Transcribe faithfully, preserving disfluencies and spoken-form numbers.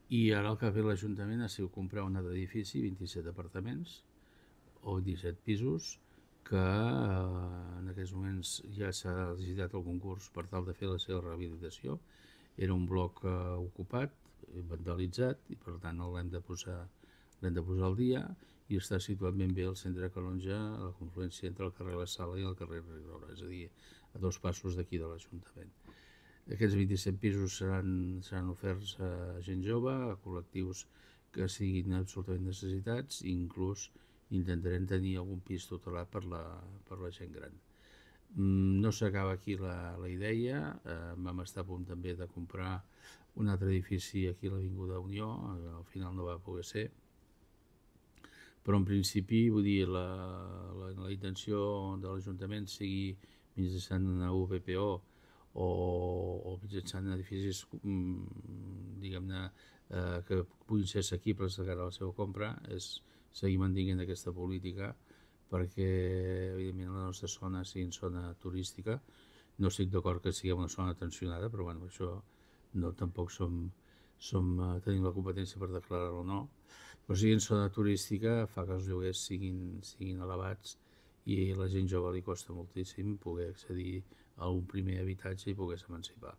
I ara el que ha fet l'Ajuntament ha sigut comprar un altre edifici, vint-i-set apartaments o vint-i-set pisos, que eh, en aquests moments ja s'ha licitat el concurs per tal de fer la seva rehabilitació. Era un bloc eh, ocupat, vandalitzat, i per tant l'hem de posar l'hem de posar al dia, i està situat ben bé al centre de Calonge, a la confluència entre el carrer La Sala i el carrer Rigora, és a dir, a dos passos d'aquí de l'Ajuntament. Aquests vint-i-set pisos seran, seran oferts a gent jove, a col·lectius que siguin absolutament necessitats, i inclús intentarem tenir algun pis tutelat per la, per la gent gran. No s'acaba aquí la, la idea, eh, vam estar a punt també de comprar un altre edifici aquí a l'Avinguda Unió, eh, al final no va poder ser, però en principi, vull dir, la, la, la intenció de l'Ajuntament sigui mitjançant una U P P O o, o mitjançant edificis, diguem-ne, eh, que puguin ser assequibles de cara a la seva compra, és seguir mantenint aquesta política, perquè, evidentment, la nostra zona sigui zona turística. No estic d'acord que sigui una zona tensionada, però bueno, això no, tampoc som, som, tenim la competència per declarar-ho o no. Però si en zona turística fa que els lloguers siguin, siguin elevats, i a la gent jove li costa moltíssim poder accedir a un primer habitatge i poder-se emancipar.